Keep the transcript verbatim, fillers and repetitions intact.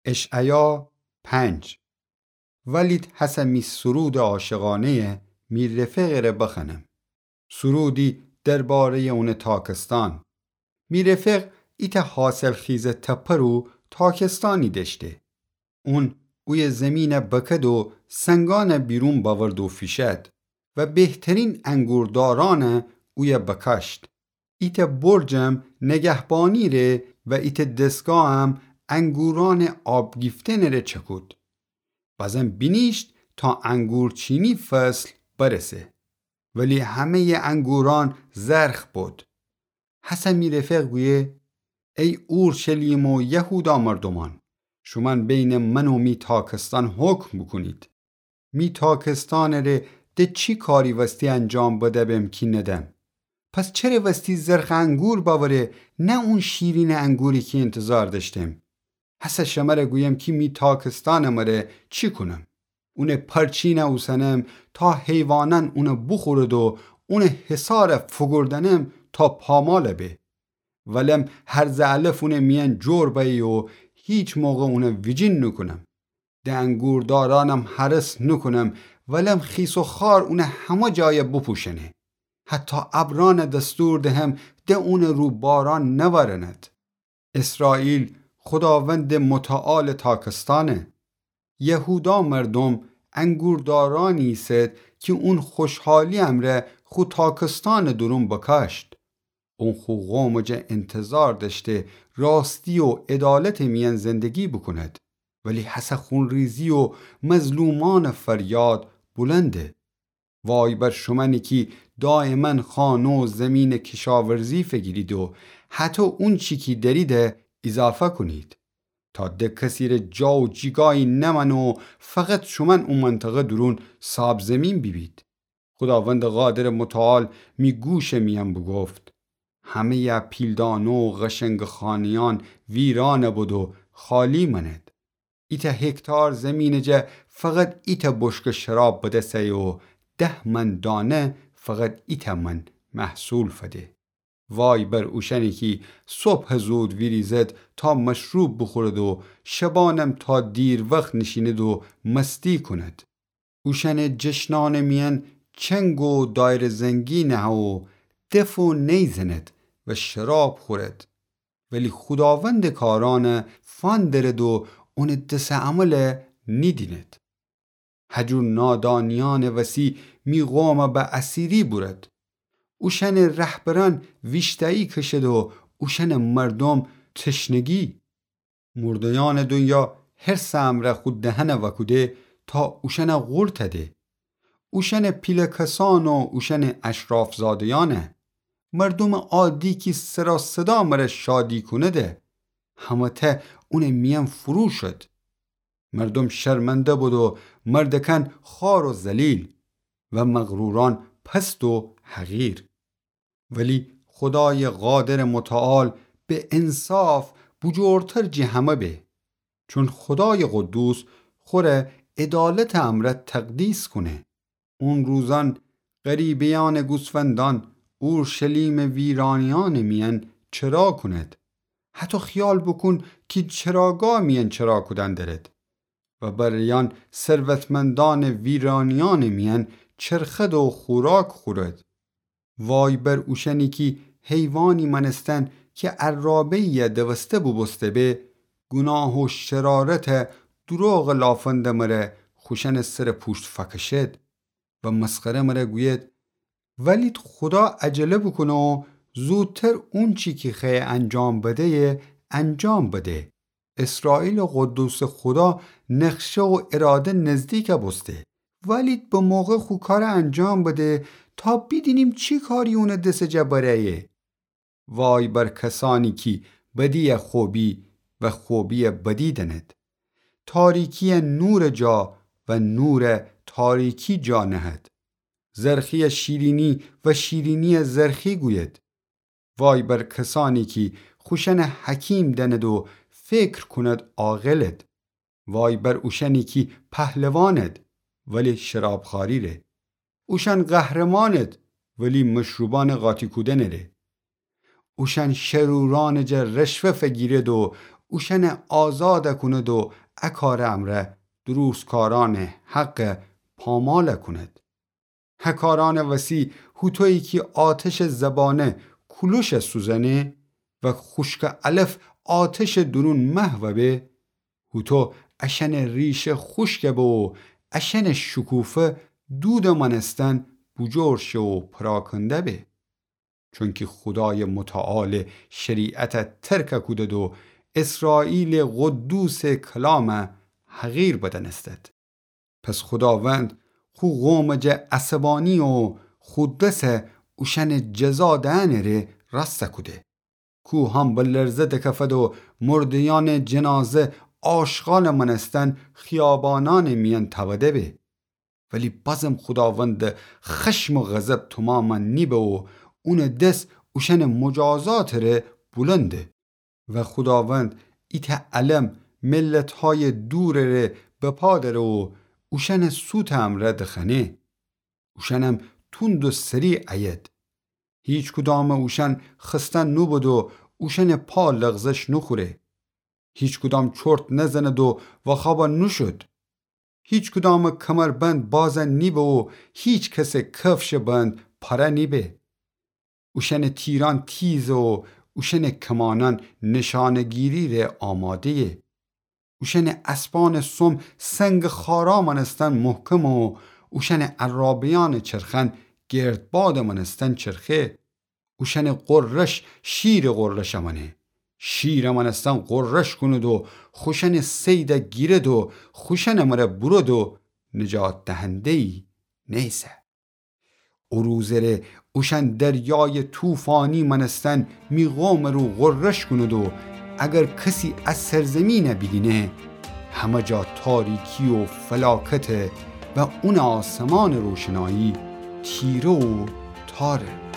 اشعیا پنج. ولید هسه می سرودٚ عاشقانه‌یَ می رفقٚ ره بخوأنم. سرودی درباره‌یٚ اونٚ تاکستان. می رفق ایتأ حاصلخیزٚ تپه رو تاکستانی دأشته. اون اویه زیمینَ بکد و سنگأنَ بیرون بأورد و فیشد و بهترین انگوردارأنَ اویه بکاشت. ایتأ برجم نگهبانی ره و ایتأ دستگاهم انگورأنٚ آب گیفتنٚ ره چکود. بازم بینیشت تا انگورچینی فصل برسه. ولی همه‌یٚ انگورأن زرخ بد. هسه می رفق گویه: ای اورشلیم و یهودا مردومأن، شومأن بینٚ من و می تاکستان حکم بوکونید. می تاکستانٚ ره د چی کاری وستی انجام بده‌بم کی ندم؟ پس چره وستی زرخٚ انگور بأوره، نه اون شیرینٚ انگوری کی اینتظار دأشتم؟ هسه شمره گویم کی می تاکستانٚ مره چی کونم. اونٚ پرچینَ اوسنم تا حیوانأن اونَ بوخورد و اونٚ حصارَ فوگوردنم تا پامالَ به. ولم هرزٚ علف اونٚ میأن جور بأیه و هیچ موقع اونَ ویجین نوکونم. د انگوردارأنم حرس نوکونم، ولم خیس و خوار اونٚ همه جایَ بوپوشنه. حتی ابرأنَ دستور دهم د اونٚ رو بارأن نورند. اسرائیل، خوداوندٚ متعالٚ تاکستأنه. یهودا مردوم انگوردارأنی ایسد کی اون خوشحالی امرأ خو تاکستانٚ دورون بکاشت. اون خو قومٚ جا اینتظار دأشته راستی و عدالتٚ میأن زندگی بوکوند، ولی هسه خونریزی و مظلومأنٚ فریاد بلنده. وای بر شومأنی کی دایمأن خانه و زیمینٚ کشاورزی فگیرید و هطو اونچی کی دأریدَ ایضافه کونید، تا د کسیرٚ جا و جیگایی نمأنه و فقط شومأن او منطقه دورون ساب‌زیمین بیبید. خوداوندٚ قادرٚ متعال می گوشٚ میأن بوگفت: همه‌یٚ پیلدانه و قشنگٚ خانه‌یأن ویرأنَ بد و خالی مأند. ایتأ هکتار زیمینٚ جا فقط ایتأ بشکٚ شراب بدس ایه و ده من دانه فقط ایتأ من محصول فده. وای بر اوشأنی کی صبحٚ زود ویریزد تا مشروب بوخورد و شبأنم تا دیروخت نیشیند و مستی کوند. اوشأنٚ جشنأنٚ میأن چنگ و دایره‌زنگی نهه و دف و نی زند و شراب خورد. ولی خوداوندٚ کارأنَ فأندرد و اونٚ دسٚ عملَ نیدیند. هجور نادانیأنٚ وسی می قومَ به اسیری بورد. اوشأنٚ رهبرأن ویشتایی کشد و اوشأنٚ مردوم تشنگی. مرده‌یأنٚ دونیا حرسٚ امرأ خو دهنَ وأکوده تا اوشأنَ قورتَ ده. اوشأنٚ پیله کسأن و اوشأنٚ اشرافزاده‌یأنَ. مردومٚ عادی کی سر و صدا مرَ شادی کونده، همه‌تأ اونٚ میأن فرو شد. مردوم شرمنده بد و مردکأن خوار و ذلیل و مغرورأن پست و حقیر. ولی خودایٚ قادرٚ متعال به انصاف بوجورتر جٚه همه به. چون خودایٚ قدوس خوره عدالتٚ امرأ تقدیس کونه. اون روزأن غریبه‌یأنٚ گوسفندأن اورشلیمٚ ویرانیأنٚ میأن چرا کوند. هطو خیال بوکون کی چراگاه میأن چرا کودن درد و بره‌یأن ثروتمندأنٚ ویرانیأنٚ میأن چرخد و خوراک خورد. وای بر اوشأنی کی حیوانی مأنستن کی عرابه‌یی دوسته بوبوسته به، گوناه و شرارت و دوروغٚ لافندٚ مره خوشأنٚ سرٚ پوشت فأکشد و مسخره مره گوید. ولید خودا عجله بوکونه و زودتر اونچی کی خوأیه انجام بده‌یه انجام بده. اسرائیلٚ قدوسٚ خودا نقشه و اراده نزدیک بوسته. ولید به موقع خو کارٚ انجام بده تا بیدینیم چی کاری اونٚ دسٚ جا بره‌یه. وای بر کسأنی کی بدی‌یه خوبی و خوبی‌یه بدی دأند. تاریکی‌یه نورٚ جا و نورَ تاریکی جا نهد. زرخی‌یه شیرینی و شیرینی‌یه زرخی گوید. وای بر کسأنی کی خوشأنَ حکیم دأند و فکر کوند عاقلد. وای بر اوشأنی کی پهلواند ولی شرابخواری ره. اوشأن قهرماند ولی مشروبأنٚ قاطی کودنٚ ره. اوشأن شرورأنٚ جا رشوه فگیرد و اوشأنَ آزادَ کونید و ا کارٚ امرأ دروستکارأنٚ حقَ پامالَ کونید. ا کارأنٚ وسی هوطویی کی آتشٚ زبانه کولوشَ سوزأنه و خوشکٚ علف آتشٚ دورون محوَ به، هوطو اشأنٚ ریشه خوشکَ به و اشأنٚ شکوفه دودٚ مأنستن بوجور شه و پراکنده به. چونکی خودایٚ متعال شریعتَ ترکَ کودید و اسرائیلٚ قدوسٚ کلامَ حقیر بدأنستید. پس خوداوند خو قومٚ جا عصبانی و خو دسَ اوشأنٚ جزا دئنٚ ره راستَ کوده. کوهأن به لرزه دکفد و مرده‌یأنٚ جنازه آشغالٚ مأنستن خیابانأنٚ میأن تأوده به. ولی بازم خوداوندٚ خشم و غضب تومامَ نیبه و اونٚ دس اوشأنٚ مجازاتٚ ره بولنده. و خوداوند ایتأ علم ملتهایٚ دورٚ ره بپا دأره و اوشأنٚ سوتٚ امرأ دخأنه. اوشأنم توند و سریع ایید. هیچکدامٚ اوشأن خسته نوبود و اوشأنٚ پا لغزش نوخوره. هیچکدام چرت نزند و واخوابا نوشود. هیچکدامٚ کمربند بازَ نیبه و هیچ کسٚ کفشٚ بند پاره نیبه. اوشأنٚ تیرأن تیزه و اوشأنٚ کمانأن نشانه‌گیری ره آماده‌یه. اوشأنٚ اسبأنٚ سم سنگٚ خارا مأنستن محکمه و اوشأنٚ عرابه‌یأنٚ چرخأن گردبادٚ مأنستن چرخه. اوشأنٚ غرش شیرٚ غرشٚ مأنه. شیرٚ مأنستن غرش کونید و خوشأنٚ صیدَ گیرید و خوشأنٚ مره بورید و نجات دهنده‌یی نیسه. او روزٚ ره اوشأن دریایٚ طوفانی مأنستن می قومٚ رو غرش کونید و اگر کسی ا سرزمینَ بیدینه، همه جا تاریکی و فلاکته و اونٚ آسمانٚ روشنایی تیره و تاره.